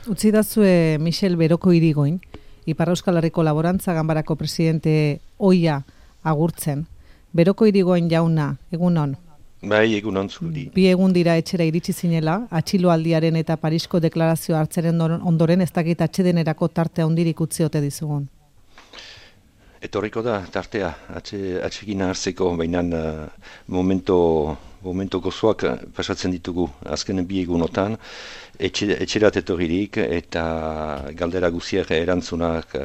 Utzi dazue Michel Beroko Irigoin, Ipar Euskal Herriko Laborantza Ganbarako presidente ohia agurtzen. Beroko Irigoin jauna, egunon. Bai, egunon zuri. Bi egun dira etxera iritsi zinela, atxiloaldiaren eta Parisko deklarazio hartzeren ondoren ez dakit atsedenerako tarte handirik utzi ote dizugun. Etorriko da tartea, atsegin hartzeko, baina momento gozoak pasatzen ditugu azken bi egunotan, etxerat etorririk eta galdera guziak erantzunak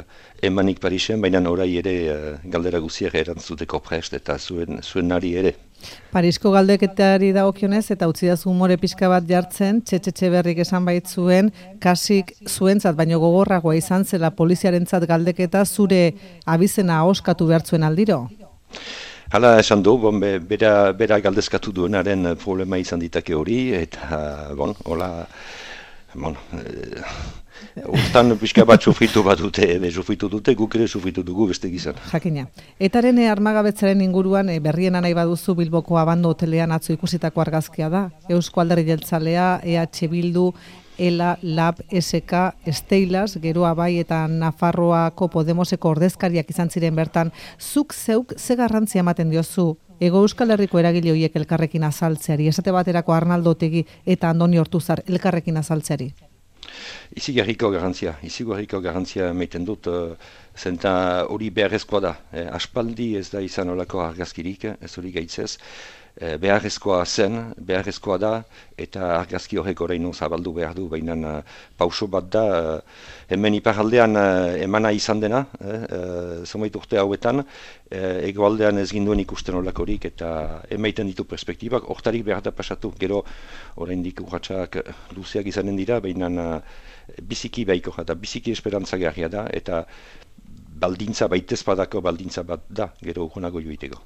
emanik Parisen, baina orai ere galdera guziak erantzuteko prest eta zuen nari ere. Parisko galdeketari dagokionez eta utzi dazu umore pixka bat jartzen, Txetxe Berrik esan baitzuen, kasik zuentzat baino gogorragoa izan zela poliziarentzat galdeketa zure abizena ahoskatu behartzuen aldiro? Hala esan du, bera galdezkatu duenaren problema izan ditake hori, eta, hortan pixka bat sufritu dute, guk ere sufritu dugu beste gizan. Jakina. Etaren armagabetzaren inguruan berriena nahi baduzu Bilboko Abando hotelean atzo ikusitako argazkia da. Eusko Alderdi Jeltzalea, EH Bildu, ELA, LAB, SK, Steilas, Geroa Bai eta Nafarroako Podemoseko ordezkariak izan ziren bertan. Zuk zeuk ze garrantzia ematen diozu Hego Euskal Herriko eragile horiek elkarrekin azaltzeari, esate baterako Arnaldo Otegi eta Andoni Ortuzar elkarrekin azaltzeari? Izigarriko garantzia meiten dut, zenta hori beharrezkoa da. Aspaldi ez da izan olako argazkirik, ez hori gaitzez. Beharrezkoa da, eta argazki horrek oraino zabaldu behar du, baina pauso bat da, hemen iparaldean emana izan dena, zomait urte hauetan, egoaldean ez ginduen ikusten olakorik, eta emaiten ditu perspektibak, hortarik behar da pasatu, gero oraindik urratxak luzeak izanen dira, baina biziki baiko da, biziki esperantzagarria da, eta baldintza bat da, gero urgunago joiteko.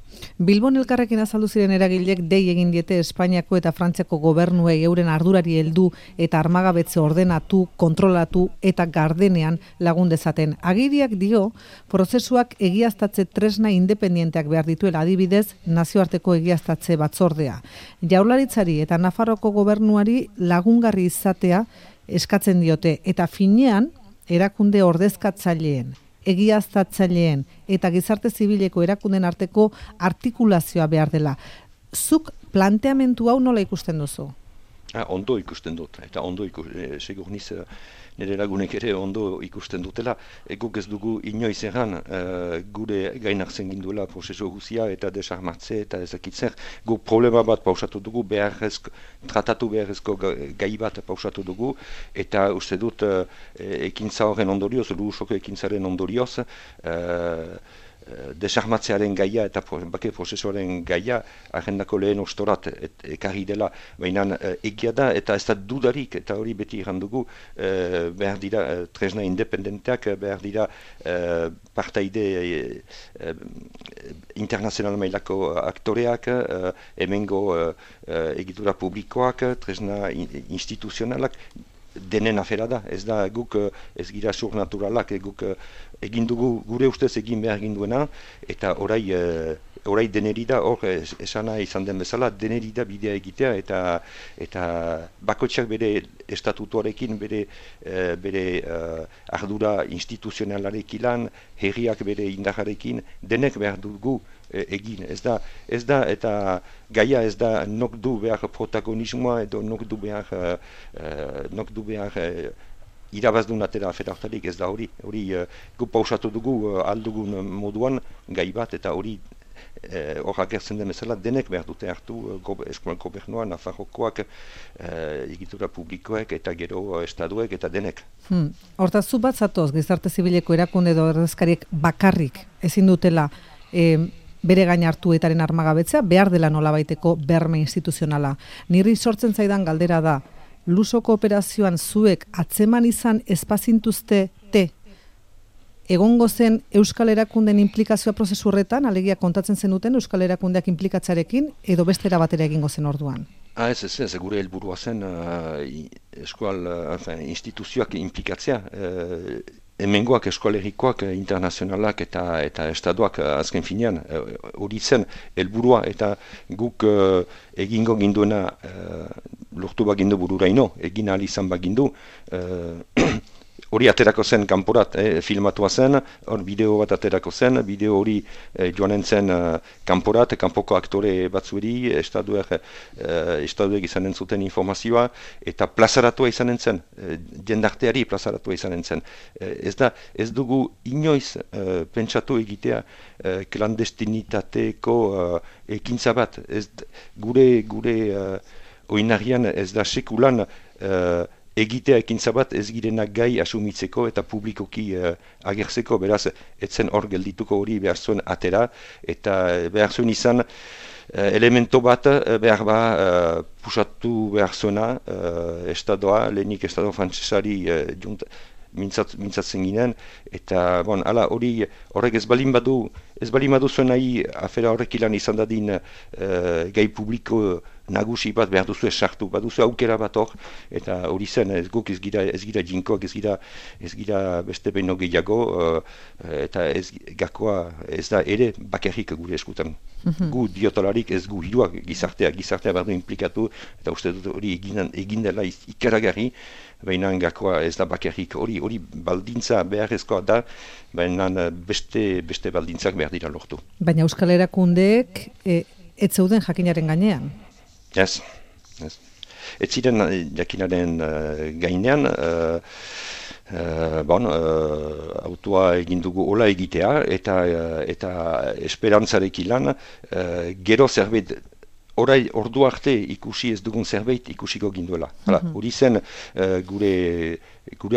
Bilbon elkarrekin azaldu ziren eragilek dei egin diete Espainiako eta Frantziako gobernuei euren ardurari heldu eta armagabetze ordenatu, kontrolatu eta gardenean lagun dezaten. Agiriak dio, prozesuak egiaztatze tresna independienteak behar dituela, adibidez, nazioarteko egiaztatze batzordea. Jaurlaritzari eta Nafarroko gobernuari lagungarri izatea eskatzen diote, eta finean erakunde ordezkatzaileen, egiaztatzaileen eta gizarte zibileko erakunden arteko artikulazioa behar dela. Zuk planteamendu hau nola ikusten duzu? Ondo ikusten dut, eta segur niz nire lagunek ere ondo ikusten dutela. Guk ez dugu inoiz erran gure gainartzen ginduela prozesu guzia eta desarmatze eta ezakitzen. Guk problema bat pausatu dugu, tratatu beharrezko gai bat pausatu dugu, eta uste dut ekintza horren ondorioz, lurusoko ekintzaren ondorioz, desarmatzearen gaia eta bake prozesuaren gaia agendako lehen ostorat ekarri dela, baina egia da eta ez da dudarik, eta hori beti errandugu, behar dira tresna independenteak, behar dira partaide internazional mailako aktoreak, hemengo egitura publikoak, tresna instituzionalak, denen afera da, ez da guk ez gira surnaturalak, guk egin dugu gure ustez egin behar ginduena, eta orai deneri da, hor esana izan den bezala, deneri da bidea egitea, eta bakoitzak bere estatutuarekin, bere ardura instituzionalarekin, herriak bere indarrarekin, denek behar dugu egin. Ez da, eta gaia ez da nok du behar protagonismoa edo nok du behar irabazdun atera afera hortarik, ez da hori. Hori gu pausatu dugu aldugun moduan gai bat, eta hori horrak ertzen den bezala denek behar dute hartu, eskuan gobernua, Nafarrokoak, egitura publikoek eta gero estaduek eta denek. Hortaz, zu bat zatoz, gizarte zibileko erakunde edo ordezkariek bakarrik ezin dutela bere gain hartu etaren armagabetzea, behar dela nolabaiteko berme instituzionala. Niri sortzen zaidan galdera da, Lusoko operazioan zuek atzeman izan espazintuzte egongo zen Euskal Erakunden implikazioa prozesu horretan, alegia kontatzen zenuten Euskal Erakundeak implikatzarekin, edo beste era batera egingo zen orduan? Ez, gure helburua zen instituzioak implikatzea. hemengoak eskolerikoak internazionalak eta estadoak azken finean hori zen helburua eta guk egingo ginduena lortu bagindu bururaino, egin ahal izan bagindu hori aterako zen kanporat, filmatua zen, hor bideo bat aterako zen, bideo hori joanen zen kanporat, kanpoko aktore batzueri, estaduek izanen zuten informazioa, eta plazaratua izanen zen, jendarteari plazaratua izanen zen. Ez dugu inoiz pentsatu egitea klandestinitateko ekintza bat, gure oinarrian ez da sekulan egitea ekintza bat ez girenak gai asumitzeko eta publikoki agertzeko, beraz, etzen hor geldituko hori behar zuen atera, eta behar zuen izan elemento bat behar pusatu behar zuena estadoa, lehenik estado frantsesari mintzatzen ginen, eta hala horrek ez balin badu zuen nahi afera horrek ilan izan dadin gai publiko nagusi bat behar duzu sartu, baduzu aukera bat hor, eta hori zen, guk ez gira jinkoak, ez gira beste behin gehiago, eta gakoa ez da ere bakarrik gure eskutan. Gu diotalarik ez gu hiruak gizartea behar du implikatu, eta uste dut hori egin dela ikaragarri, baina gakoa ez da bakarrik, hori baldintza beharrezkoa da, baina beste baldintzak behar dira lortu. Baina Euskal Erakundeek ez zeuden jakinaren gainean? Ez. Ez ziren jakinaren gainean, autoa egin dugu hola egitea, eta esperantzarekin lan, gero zerbait, ordu arte ikusi ez dugun zerbait ikusiko ginduela. Hori zen gure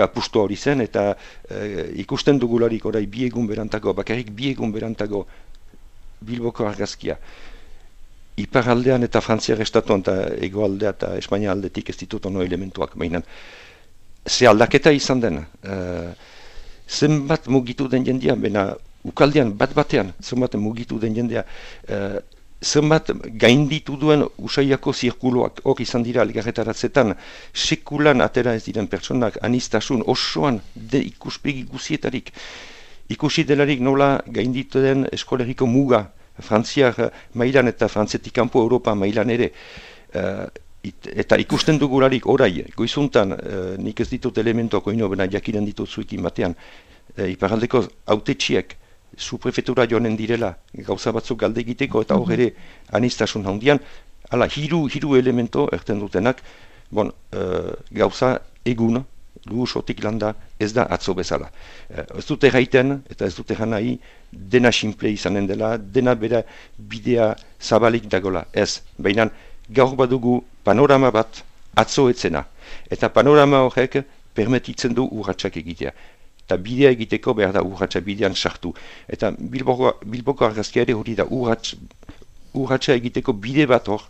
apustua hori zen, eta ikusten dugularik orai bakarrik bi egun berantago Bilboko argazkia. Iparaldean eta Frantziar estatuan eta egoaldea eta Espainia aldetik ez ditut ono elementuak, baina ze aldaketa izan den, zenbat mugitu den jendea, baina ukaldean bat-batean zenbat mugitu den jendea, zenbat gainditu duen usaiako zirkuloak hor izan dira elgarretaratzetan, sekulan atera ez diren pertsonak anistasun osoan ikuspegi guzietarik, ikusi delarik nola gainditu den eskoleriko muga, Frantziar mailan eta Frantzetik kanpo Europa mailan ere, eta ikusten dugularik orai, goizuntan, nik ez ditut elementuak oino, bena jakinen ditut zuekin batean, iparaldeko autetxiek suprefetura joanen direla, gauza batzuk galde egiteko, eta hor ere anistasun handian, hala, hiru elemento erten dutenak, gauza egun, luusotik landa ez da atzo bezala. Ez dute gaiten, eta ez dute nahi, dena simple izanen dela, dena bera bidea zabalik dagola. Ez, baina gaur badugu panorama bat atzo etzena. Eta panorama horrek permetitzen du urratsak egitea. Eta bidea egiteko behar da urratsa bidean sartu. Eta Bilboko argazkia ere hori da urratsa egiteko bide bat hor,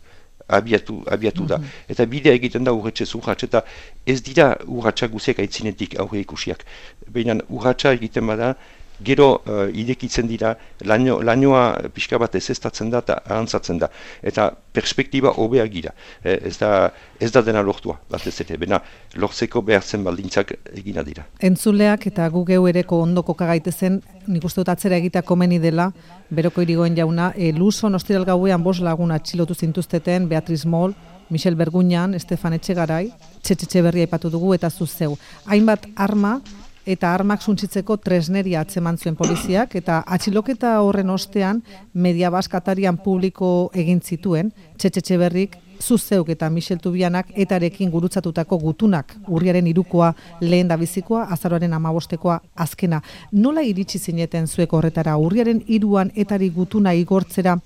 abiatu da. Eta bidea egiten da urratxez urratx, eta ez dira urratxak guziak aitzinetik aurre ikusiak. Baina urratxa egiten bada, gero idekitzen dira, lainoa pixka bat ezestatzen da eta ahantzatzen da. Eta perspektiba hobeak gira. Ez da dena lortua, batez ere. Baina lortzeko behartzen baldintzak egina dira. Entzuleak eta gu geu ereko ondoko kagaitezen, nik uste dut atzera egitea komeni dela, Beroko Irigoyen jauna, Luson ostiral gauean 5 lagun atxilotu zintuzteten, Beatriz Moll, Michel Berguñan, Estefan Etxegarai, Etxeberria aipatu dugu eta zuzeu. Hainbat arma eta armak suntsitzeko tresneria atzeman zuen poliziak, eta atxiloketa horren ostean Media Bask atarian publiko egin zituen, Etxeberrik, zuzeuk eta Michel Tubianak etarekin gurutzatutako gutunak, urriaren 3koa lehen da bizikoa, azaroaren 15koa azkena. Nola iritsi zineten zuek horretara, urriaren 3an etari gutuna igortzera,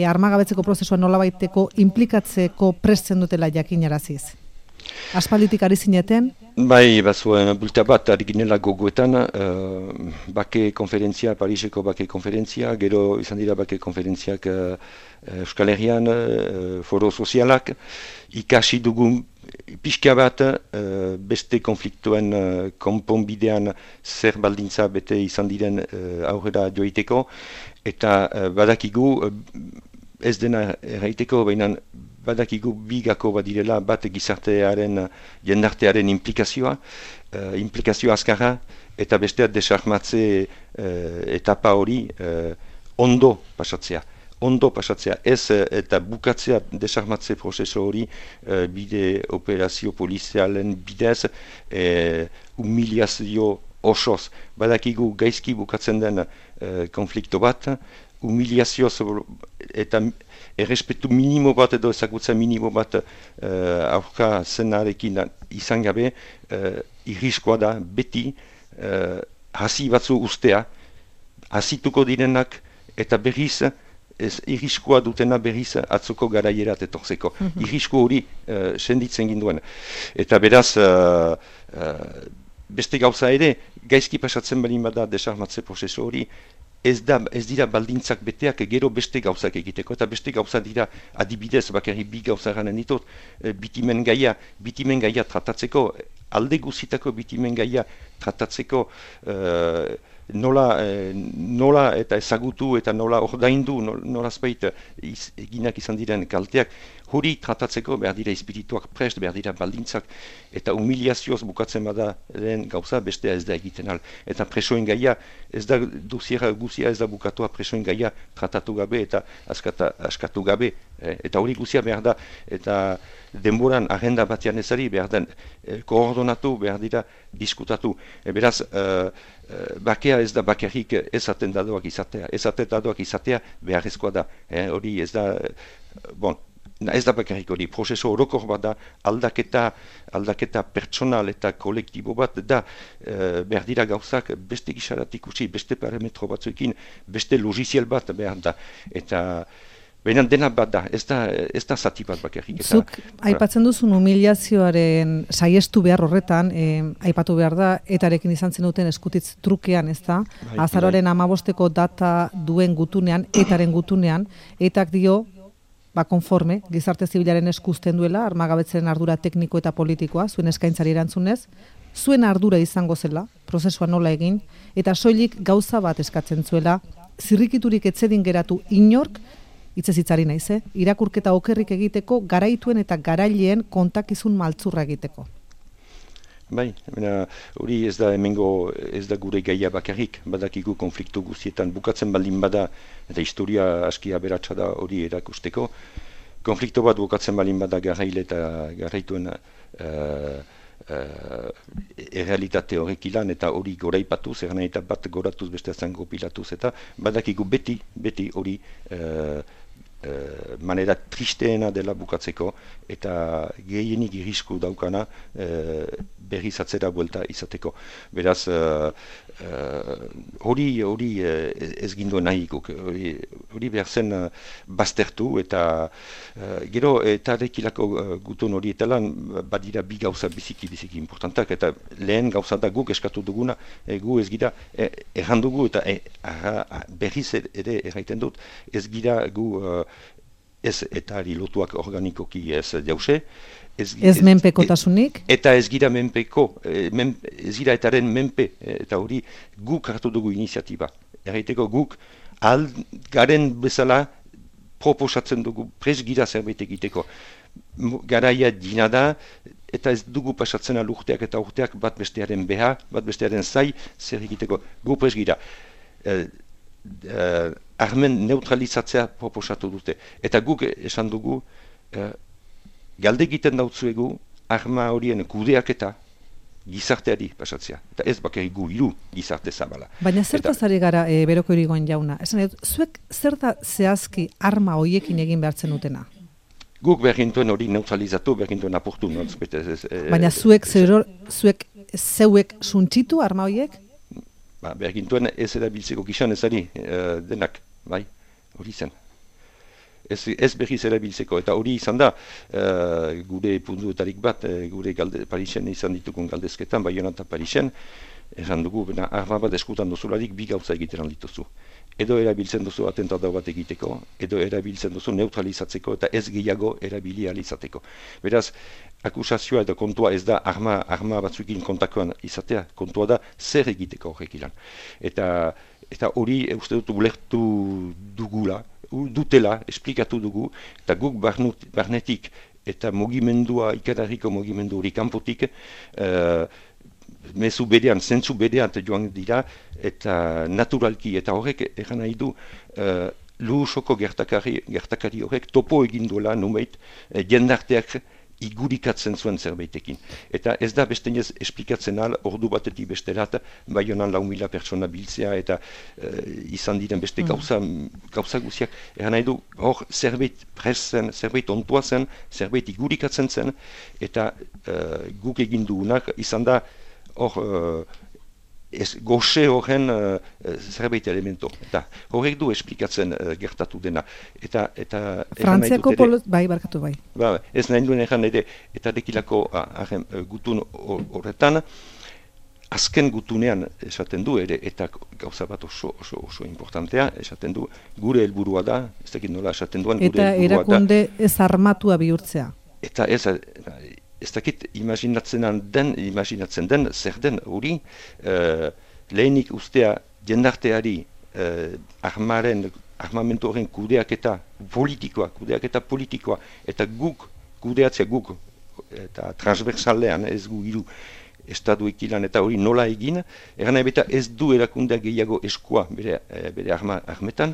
armagabetzeko prozesua nolabaiteko implikatzeko presten dutela jakinaraziz? Aspalditik ari zineten? Bai, bazuen bulta bat ari ginela gogoetan, bake konferentzia, Pariseko bake konferentzia, gero izan dira bake konferentziak Euskal Herrian, foro sozialak, ikasi dugu pixka bat beste konfliktuen konponbidean zer baldintza bete izan diren aurrera joiteko, eta badakigu ez dena erraiteko, baina badakigu bigako badirela, bat gizartearen, jendartearen implikazioa azkarra, eta bestea desarmatze etapa hori ondo pasatzea. Ez eta bukatzea desarmatze prozeso hori bide operazio polizialen bidez humiliazio osoz. Badakigu gaizki bukatzen den konflikto bat, humiliazio eta errespetu minimo bat edo ezagutza minimo bat aurka zenarekin izan gabe irriskoa da beti hasi batzu ustea, hasituko direnak eta berriz irriskoa dutena berriz atzoko garaierat etorzeko. Irrisko hori senditzen ginduen. Eta beraz, beste gauza ere, gaizki pasatzen balin bada desarmatze prozesu hori, ez dira baldintzak beteak gero beste gauzak egiteko, eta beste gauza dira adibidez, bakarri bi gauza garen ditut, bitimen gaia tratatzeko, alde guzitako bitimen gaia tratatzeko, nola eta ezagutu eta nola ordaindu, nola zbait eginak izan diren kalteak, hori tratatzeko behar dira espirituak prest, behar dira baldintzak, eta humiliazioz bukatzen bada lehen gauza bestea ez da egiten al. Eta presoen gaia, ez da duziera guzia ez da bukatua presoen gaia tratatu gabe eta askatu gabe. Eta hori guzia behar da, eta denboran agenda batean ezari behar da koordonatu, behar dira diskutatu. Beraz, bakea ez da bakarrik ez atentadoak izatea beharrezkoa da. Hori ez da, ez da bakarrik hori, prozeso orokor bat da, aldaketa pertsonal eta kolektibo bat da, behar dira gauzak beste gisaratik ikusi, beste parametro batzuekin, beste logiziel bat behar da. Eta baina dena bat da, ez da zati bat bakarrik. Zuk aipatzen duzun humiliazioaren saiestu behar horretan, aipatu behar da, etarekin izan zenuten eskutitz trukean, ez da? Azaroaren 15 data duen gutunean, etaren gutunean, etak dio, konforme, gizarte zibilaren eskusten duela, armagabetzen ardura tekniko eta politikoa, zuen eskaintzari erantzunez, zuen ardura izango zela, prozesua nola egin, eta soilik gauza bat eskatzen zuela, zirrikiturik etzedin geratu inork, hitzezitzari naiz, irakurketa okerrik egiteko, garaituen eta garaileen kontakizun maltzurra egiteko. Bai, hori ez da hemengo, ez da gure gaia bakarrik, badakigu konfliktu guztietan bukatzen baldin bada, eta historia aski aberatsa da hori erakusteko. Konflikto bat bukatzen baldin bada garaile eta garaituen errealitate horrek ilan, eta hori goraipatuz, eta bat goratuz beste zango pilatuz, eta badakigu beti hori manera tristeena dela bukatzeko, eta gehienik irrisku daukana berriz atzera buelta izateko. Beraz, hori ez ginduen nahikuk, hori behar zen baztertu, eta gero eta rekilako gutun hori eta lan badira bi gauza biziki importantak, eta lehen gauza da guk eskatu duguna, gu ez gira errandugu, eta berriz ere erraiten dut, ez gira gu ez eta lotuak organikoki ez jause, ez menpekotasunik? Eta ez gira menpeko, ez gira etaren menpe, eta hori guk hartu dugu iniziatiba. Erraiteko guk garen bezala proposatzen dugu, prez gira zerbait egiteko. Garaia dina da, eta ez dugu pasatzen urteak eta urteak bat bestearen beha, bat bestearen zai, zer egiteko. Gu prez gira. Armen neutralizatzea proposatu dute. Eta guk esan dugu, galde egiten dautzuegu, arma horien kudeaketa gizarteari pasatzea. Eta ez bakarrik gu hiru gizarte zabala. Baina zertaz ari gara Beroko Irigoyen jauna? Esan dut, zuek zerta zehazki arma horiekin egin behartzen dutena? Guk bergintuen hori neutralizatu, bergintuen apurtu. Baina zuek zeuek suntxitu arma horiek? Bergintuen ez erabiltzeko gizan ezari denak, bai, hori zen. Ez berriz erabiltzeko, eta hori izan da, gure puntuetarik bat, gure Parisen izan ditugun galdezketan, Baionan eta Parisen, esan dugu, arma bat eskutan duzularik bi gauza egiteran dituzu. Edo erabiltzen duzu atentatu bat egiteko, edo erabiltzen duzu neutralizatzeko eta ez gehiago erabili alizateko. Beraz, akusazioa eta kontua ez da arma batzuekin kontakoan izatea, kontua da zer egiteko horrek ilan. Eta hori uste dut ulertu dugula, dutela, esplikatu dugu, eta guk barnetik eta mugimendua, ikerarriko mugimendu hori kanpotik, mezu berean, zentzu berean joan dira, eta naturalki, eta horrek egan nahi du, Luhusoko gertakari horrek topo egin duela numeit jendarteak igurikatzen zuen zerbaitekin. Eta ez da bestenez esplikatzen al, ordu batetik besterat, Baionan 4.000 pertsona biltzea eta izan diren beste gauza guziak. Egan nahi du, hor zerbait presen, zerbait ontua zen, zerbait igurikatzen zen, eta guk egin dugunak izan da hor goxe horren zerbait elemento. Eta horrek du esplikatzen gertatu dena. Eta Frantziako barkatu bai. Ez nahi duen egan ere, eta dekilako gutun horretan, azken gutunean esaten du ere, eta gauza bat oso importantea, esaten du, gure helburua da, ez dakit nola esaten duen, gure helburua da. Eta erakunde ez armatua bihurtzea. Eta ez dakit imaginatzen den, zer den hori, lehenik ustea jendarteari armamentu horren kudeaketa politikoa, eta guk kudeatzea guk, eta transversalean ez gu hiru estatu ekilan eta hori nola egin, eran ebeta ez du erakundeak gehiago eskua bere armetan,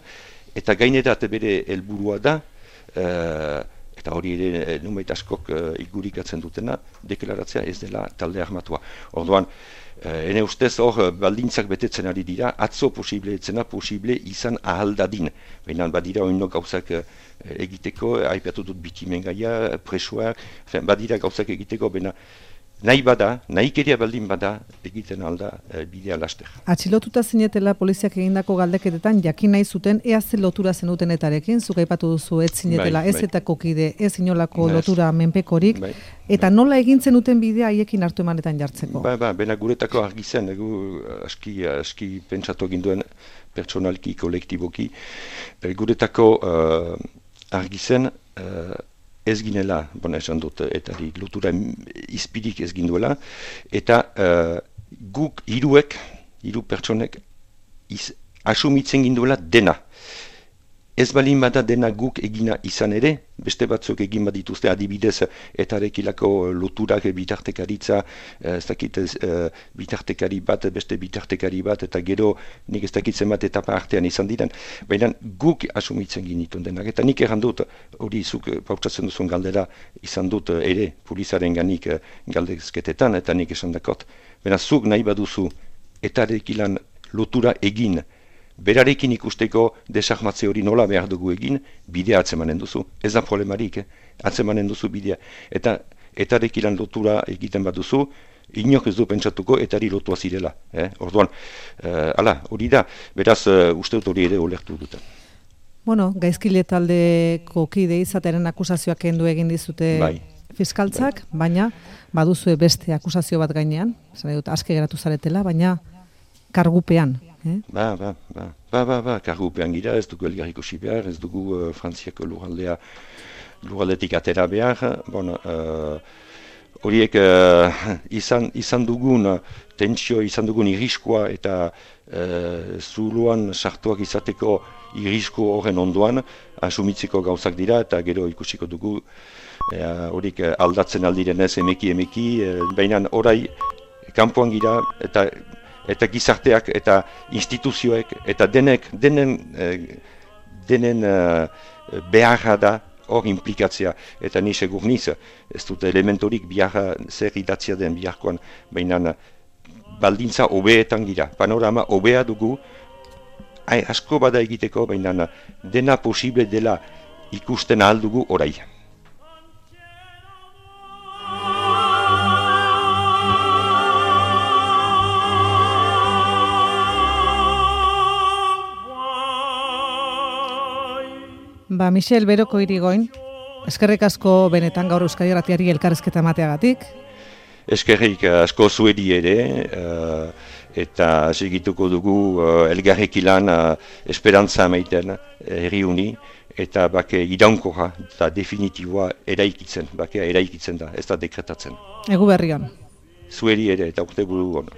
eta gainerat bere helburua da, eta hori ere numeit askok igurikatzen dutena, deklaratzea ez dela talde armatua. Orduan, ene ustez hor baldintzak betetzen ari dira, atzo posible izan ahaldadin. Baina badira oino gauzak egiteko, aipatu dut bikimen gaia, presoak, badira gauzak egiteko, baina nahikeria baldin bada egiten alda bidea laster. Atxilotuta zinetela poliziak egindako galdeketetan jakin nahi zuten ea ze lotura zenutenetarekin, zuk aipatu duzu ez zinetela ez etako kide, ez inolako lotura menpekorik, eta nola egin zenuten bidea haiekin hartu emanetan jartzeko? Bena guretako argi zen, aski pentsatu egin duen pertsonalki, kolektiboki, guretako argi zen, ez ginela, esan dut, eta lotura izpirik ez ginduela, eta guk hiru pertsonek asumitzen ginduela dena. Ez balin bada dena guk egina izan ere, beste batzuk egin badituzte adibidez etarekilako loturak bitartekaritza, ez dakit bitartekari bat, beste bitartekari bat, eta gero nik ez dakitzen bat etapa artean izan diren. Baina guk asumitzen ginitun denak, eta nik erran dut, hori zuk pautsatzen duzun galdera izan dut ere polizaren ganik galdezketetan, eta nik esan dakot. Baina zuk nahi baduzu etarekilan lotura egin, berarekin ikusteko desarmatze hori nola behar dugu egin, bidea atzemanen duzu. Ez da problemarik, atzemanen duzu bidea. Eta etarekilan lotura egiten bat duzu, inok ez du pentsatuko etari lotua zirela. Orduan, hori da, beraz uste dut hori ere olertu duten. Gaizkile taldeko kide izatearen akusazioak kendu egin dizute fiskaltzak, baina baduzue beste akusazio bat gainean, aske geratu zaretela, baina kargupean. Kargupean gira, ez dugu elgarriko behar, ez dugu Frantziako lurraldetik atera behar. Horiek izan dugun tentsio, izan dugun irriskoa eta zuloan sartuak izateko irrisko horren ondoan asumitzeko gauzak dira eta gero ikusiko dugu horiek aldatzen aldirenez emeki, baina orai kanpoan gira eta gizarteak eta instituzioek eta denen beharra da hor implikatzea. Eta ni segur niz, ez dut elementorik biharra zer idatzia den biharkoan, baina baldintza hobeetan gira. Panorama hobea dugu, asko bada egiteko, baina dena posible dela ikusten ahal dugu orai. Michel Beroko Irigoin, eskerrik asko benetan gaur Euskadi Irratiari elkarrizketa emateagatik. Eskerrik asko zuedi ere, eta segituko dugu elgarrekilan esperantza emaiten herriuni, eta bake iraunkorra eta definitiboa eraikitzen da, ez da dekretatzen. Egu berri on. Zuedi ere eta urte buru on.